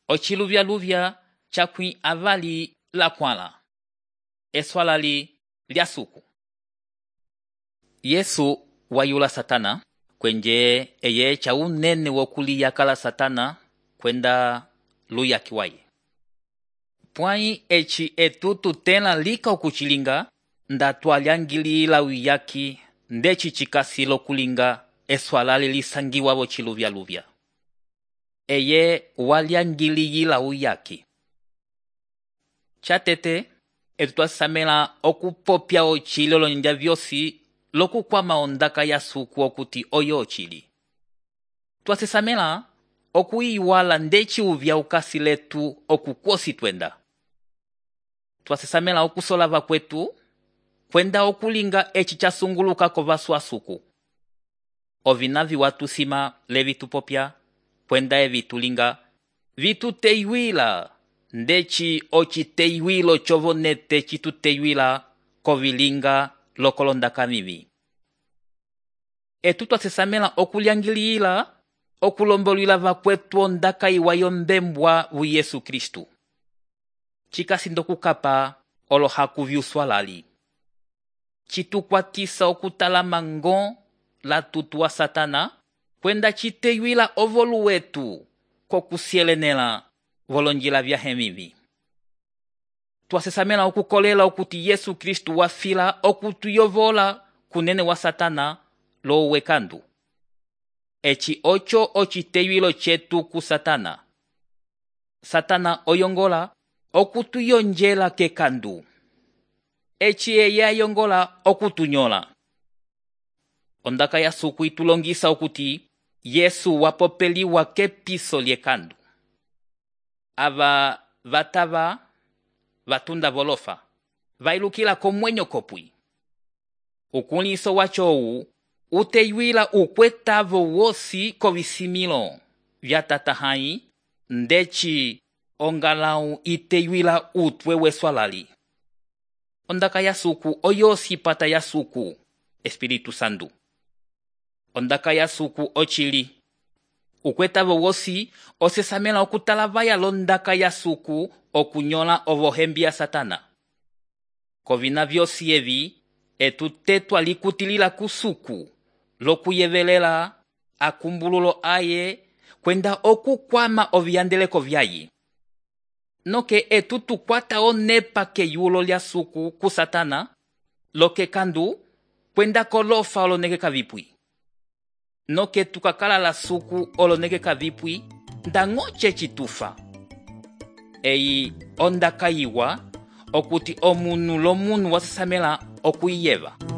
ociluvyaluvya cakwi avali lakwala, eswalali lya suku. Yesu wayula Satana, kwenje eye cha unene wokuliyakala Satana kwenda luyaki waye. Pwai eci etutu tela lika okuchilinga, nda twalyangilila uyaki ndeci chikasi lokulinga eswalali lisangiwa bociluvyaluvya. Eye walyangiliyila uyaki. Chatete, etutwasamela okupopya ochili olonja vyosi lokukwama ondaka ya suku okuti oyo ochili. Twasisamela okuiwala ndeci uvya ukasi letu okukwosi twenda. Twasisamela okusolava kwetu kwenda okulinga eci chasunguluka kovaswa suku. Ovina viwatusima levitupopya kwenda evitulinga vituteiwila ndeci ociteiwilo chovonete cituteiwila kovilinga lokolondaka mivi. Twasisamela okulyangilila okulombolwila vakwetu ondaka iwa yombembwa vu Yesu Kristu. Chikasi ndokukapa olohaku vyuswalali. Chitukwatisa okutalama ngo la tutu wa Satana kwenda chiteiwila ovolu wetu kokusielenela volonjila vyahe mivi. Twasisamela okukolela okuti Yesu Kristu wafila okutuyovola kunene wa Satana lo wekandu. Eci ocho ociteiwilo chetu ku Satana. Satana oyongola okutuyonjela kekandu. Eci eye ayongola okutunyola. Ondaka ya suku itulongisa okuti Yesu wapopeliwa kepiso lyekandu. Ava vatava vatunda volofa vailukila komwenyo kopwi. Ukuliso wachowu uteiwila ukwetavo wosi kovisimilo vya tatahai ndeci ongalau iteiwila utwe weswalali. Ondaka ya suku oyo sipata ya suku, Espiritu Santu. Ondaka ya suku ochili. Ukwetavo wosi osesamela okutalavaya londaka ya suku okunyola ovohembi ya Satana. Kovina vyosi evi etutetwa likutilila kusuku lokuyevelela akumbululo aye kwenda okukwama oviyandeleko vyaye. Noke etutukwata onepa keyulo lya suku ku Satana loke kandu kwenda kolofa olonekeka vipwi. Noke tukakala la suku olonekeka vipwi ndangoche chitufa. Eyi ondaka iwa okuti omunu lomunu wasisamela okuyeva.